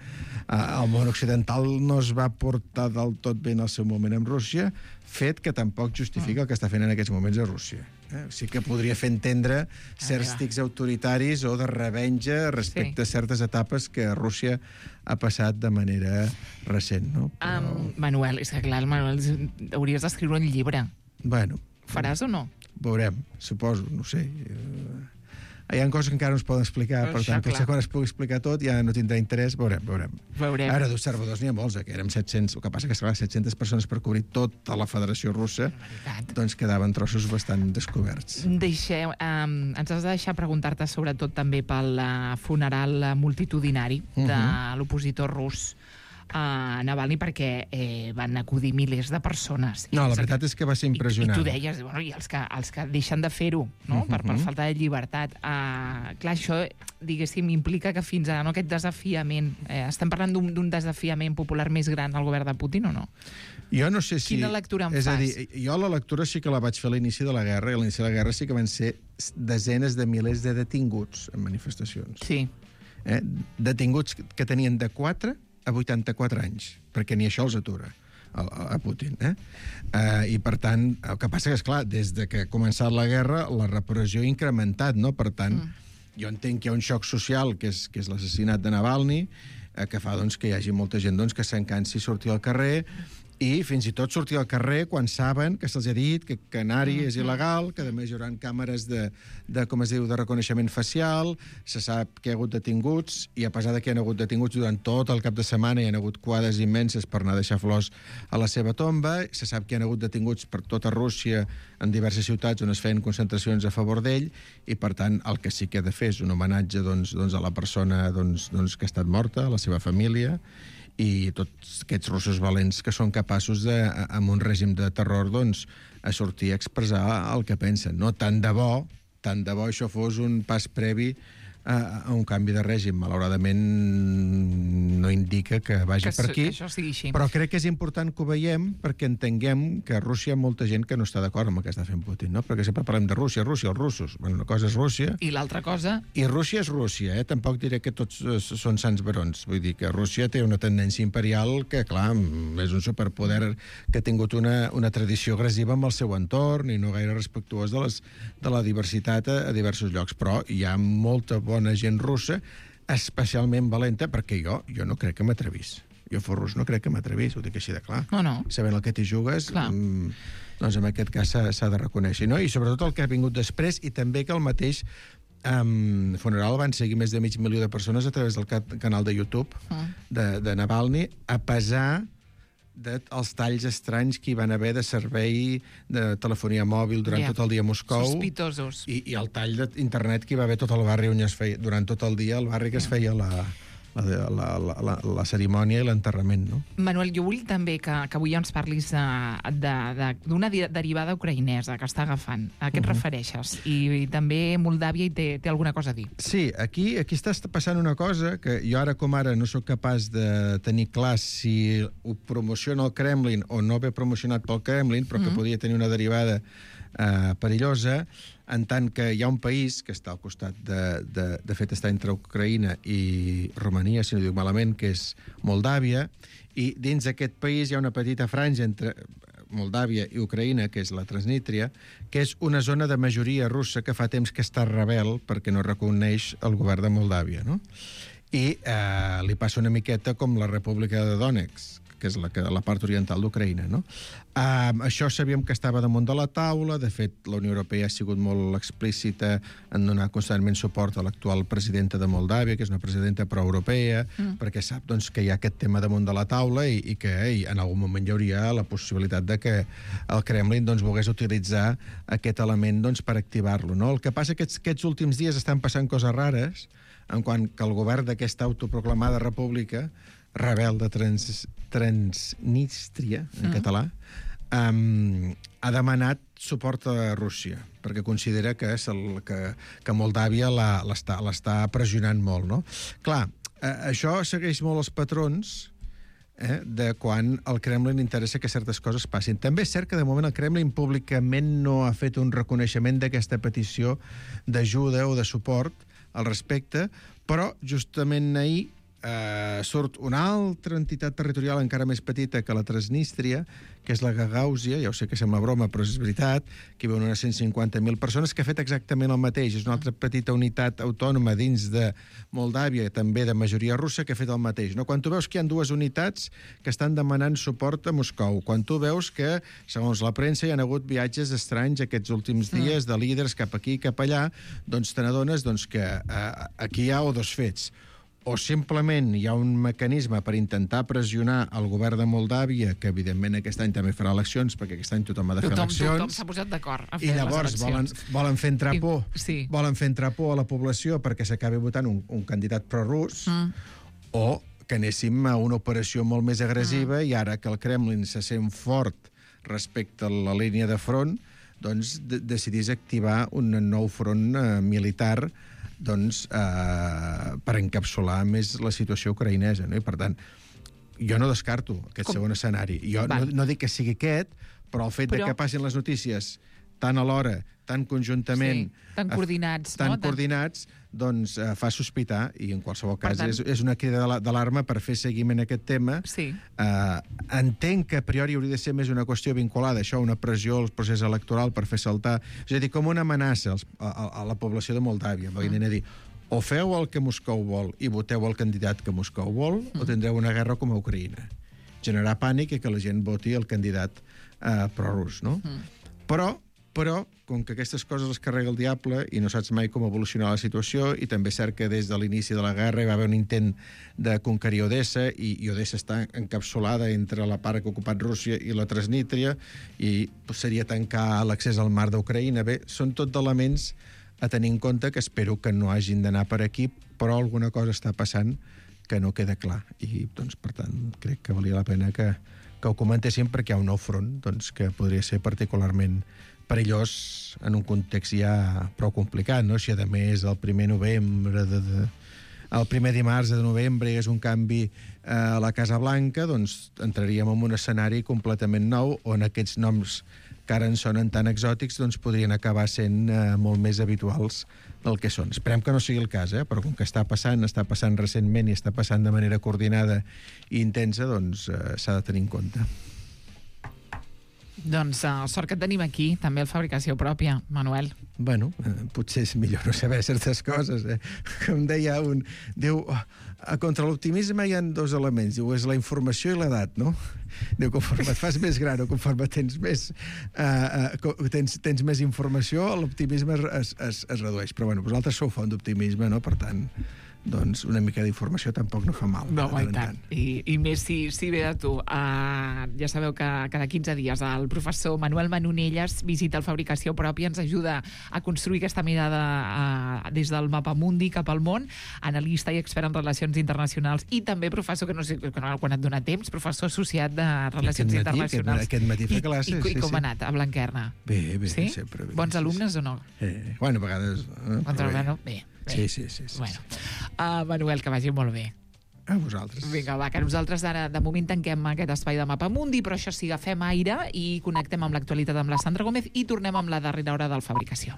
el món occidental no es va portar del tot bé en el seu moment amb Rússia, fet que tampoc justifica el que està fent en aquests moments a Rússia. Sí que podria fer entendre certs tics autoritaris o de revenja respecte a certes etapes que Rússia ha passat de manera recent, no? Manuel, és que clar, Manuel, hauries d'escriure un llibre. Bueno. Faràs o no? Veurem, suposo, no sé. Hi ha coses que encara no es poden explicar, per tant, potser quan es pugui explicar tot ja no tindrà interès, veurem. Ara, d'observadors n'hi ha molts, que érem 700, el que passa que 700 persones per cobrir tota la Federació Russa, doncs quedaven trossos bastant descoberts. Ens has de deixar preguntar-te sobretot també pel funeral multitudinari de l'opositor rus a Navalny, perquè van acudir milers de persones. No, la veritat és que va ser impressionant. I tu deies, i els que deixen de fer-ho, no? Per falta de llibertat. Clar, això, diguéssim, implica que fins ara aquest desafiament... Estem parlant d'un desafiament popular més gran al govern de Putin o no? Jo no sé si... Quina lectura en fas? És a dir, jo la lectura sí que la vaig fer a l'inici de la guerra, i a l'inici de la guerra sí que van ser desenes de milers de detinguts en manifestacions. Sí. Detinguts que tenien de 4 a 84 anys, perquè ni això els atura a Putin. I, per tant, el que passa que, esclar, des de que ha començat la guerra, la repressió ha incrementat, no? Per tant, jo entenc que hi ha un xoc social, que és l'assassinat de Navalny, que fa que hi hagi molta gent que s'encansi sortir al carrer, i fins i tot sortir al carrer quan saben que se'ls ha dit que anar-hi és il·legal, que a més hi haurà càmeres de reconeixement facial, se sap que hi ha hagut detinguts, i a pesar que hi ha hagut detinguts durant tot el cap de setmana, hi ha hagut quadres immenses per anar a deixar flors a la seva tomba, se sap que hi ha hagut detinguts per tota Rússia en diverses ciutats on es feien concentracions a favor d'ell, i per tant el que sí que ha de fer és un homenatge a la persona que ha estat morta, a la seva família, i tots aquests russos valents que són capaços, amb un règim de terror, a sortir a expressar el que pensen. No tant de bo això fos un pas previ a un canvi de règim. Malauradament no indica que vagi per aquí, però crec que és important que ho veiem perquè entenguem que a Rússia hi ha molta gent que no està d'acord amb el que està fent Putin, no? Perquè sempre parlem de Rússia, els russos. Bueno, una cosa és Rússia... I l'altra cosa... I Rússia és Rússia, Tampoc diré que tots són sants barons. Vull dir que Rússia té una tendència imperial que, clar, és un superpoder que ha tingut una tradició agressiva amb el seu entorn i no gaire respectuós de la diversitat a diversos llocs. Però hi ha molta bona gent russa, especialment valenta, perquè jo no crec que m'atrevís. Jo fos rus no crec que m'atrevís, ho dic així de clar. No. Sabent el que t'hi jugues, doncs en aquest cas s'ha de reconèixer. No? I sobretot el que ha vingut després, i també que el mateix funeral van seguir més de 500.000 de persones a través del canal de YouTube de Navalny, a pesar dels talls estranys que hi van haver de servei de telefonia mòbil durant tot el dia a Moscou. Sospitosos. I el tall d'internet que hi va haver tot el barri on es feia, durant tot el dia, el barri que es feia la cerimònia i l'enterrament, no? Manuel, jo vull també que avui ens parlis d'una derivada ucraïnesa que està agafant. A què et refereixes? I també Moldàvia hi té alguna cosa a dir. Sí, aquí està passant una cosa que jo ara com ara no sóc capaç de tenir clar si ho promociona el Kremlin o no ve promocionat pel Kremlin, però que podria tenir una derivada perillosa, en tant que hi ha un país que està al costat, de fet està entre Ucraïna i Romania, si no dic malament, que és Moldàvia, i dins d'aquest país hi ha una petita franja entre Moldàvia i Ucraïna, que és la Transnistria, que és una zona de majoria russa que fa temps que està rebel perquè no reconeix el govern de Moldàvia, no? I li passa una miqueta com la República de Donetsk, que és la part oriental d'Ucraïna, no? Això sabíem que estava damunt de la taula. De fet, la Unió Europea ha sigut molt explícita en donar constantment suport a l'actual presidenta de Moldàvia, que és una presidenta proeuropea, perquè sap doncs, que hi ha aquest tema damunt de la taula i que en algun moment hi hauria la possibilitat de que el Kremlin doncs, volgués utilitzar aquest element doncs, per activar-lo. No? El que passa que aquests últims dies estan passant coses rares, en quant que el govern d'aquesta autoproclamada república rebel de Transnistria, en català, ha demanat suport a Rússia, perquè considera que Moldàvia l'està pressionant molt. No? Clar, això segueix molt els patrons de quan al Kremlin interessa que certes coses passin. També és cert que de moment el Kremlin públicament no ha fet un reconeixement d'aquesta petició d'ajuda o de suport al respecte, però justament ahir surt una altra entitat territorial encara més petita que la Transnistria, que és la Gagàusia, ja ho sé que sembla broma, però és veritat, que hi viuen unes 150.000 persones, que ha fet exactament el mateix. És una altra petita unitat autònoma dins de Moldàvia, també de majoria russa, que ha fet el mateix. No? Quan tu veus que hi ha dues unitats que estan demanant suport a Moscou, quan tu veus que, segons la premsa, hi ha hagut viatges estranys aquests últims dies de líders cap aquí i cap allà, doncs te n'adones que aquí hi ha dos fets. O simplement hi ha un mecanisme per intentar pressionar el govern de Moldàvia, que evidentment aquest any també farà eleccions, perquè aquest any tothom ha de fer eleccions. Tothom s'ha posat d'acord a fer les eleccions. I llavors volen fer entrar por. Sí. Volen fer entrar por a la població perquè s'acabi votant un candidat prorus, o que anéssim a una operació molt més agressiva i ara que el Kremlin se sent fort respecte a la línia de front, doncs decidís activar un nou front militar doncs, per encapsular més la situació ucraïnesa. No? I, per tant, jo no descarto aquest segon escenari. Jo no dic que sigui aquest, però el fet de que passin les notícies tan alhora, tan conjuntament... Tan coordinats. Coordinats, doncs fa sospitar, i en qualsevol cas és una crida d'alarma per fer seguiment a aquest tema. Sí. Entenc que a priori hauria de ser més una qüestió vinculada a això, una pressió al procés electoral per fer saltar... És a dir, com una amenaça a la població de Moldàvia. Venint a dir, o feu el que Moscou vol i voteu el candidat que Moscou vol, o tindreu una guerra com a Ucraïna. Generar pànic i que la gent voti el candidat prorus, no? Però, com que aquestes coses les carrega el diable i no saps mai com evolucionar la situació, i també és cert que des de l'inici de la guerra hi va haver un intent de conquerir Odessa, i Odessa està encapsulada entre la part que ha ocupat Rússia i la Transnistria, i seria tancar l'accés al mar d'Ucraïna. Bé, són tot elements a tenir en compte que espero que no hagin d'anar per aquí, però alguna cosa està passant que no queda clar. I, doncs, per tant, crec que valia la pena que ho comentéssim, perquè hi ha un nou front doncs, que podria ser particularment perillós en un context ja prou complicat, no? Si a més el primer novembre, el primer dimarts de novembre hi és un canvi a la Casa Blanca, doncs entraríem en un escenari completament nou on aquests noms que ara ens sonen tan exòtics doncs podrien acabar sent molt més habituals del que són. Esperem que no sigui el cas, però com que està passant recentment i està passant de manera coordinada i intensa, doncs s'ha de tenir en compte. Doncs sort que et tenim aquí, també el Fabricació Pròpia, Manuel. Bueno, potser és millor no saber certes coses. Com deia un... Diu, contra l'optimisme hi ha dos elements. Diu, és la informació i l'edat, no? Diu, conforme et fas més gran o conforme tens més informació, l'optimisme es redueix. Però bueno, vosaltres sou font d'optimisme, no? Per tant, doncs una mica d'informació tampoc no fa mal. No, i tant. I més si ve de tu. Ja sabeu que cada 15 dies el professor Manuel Manonelles visita el Fabricació Pròpia, ens ajuda a construir aquesta mirada des del mapamundi cap al món, analista i expert en relacions internacionals, i també professor, que no sé quan et dona temps, professor associat de relacions internacionals. Aquest matí fa classes. I com ha anat a Blanquerna? Bé, sí? sempre bé. Bons alumnes o no? Bueno, a vegades... Bé. Sí. Bueno, Manuel, que vagi molt bé. A vosaltres. Vinga, va, que nosaltres ara, de moment, tanquem aquest espai de Mapamundi, però això sí, agafem aire i connectem amb l'actualitat amb la Sandra Gómez i tornem amb la darrera hora del Fabricació.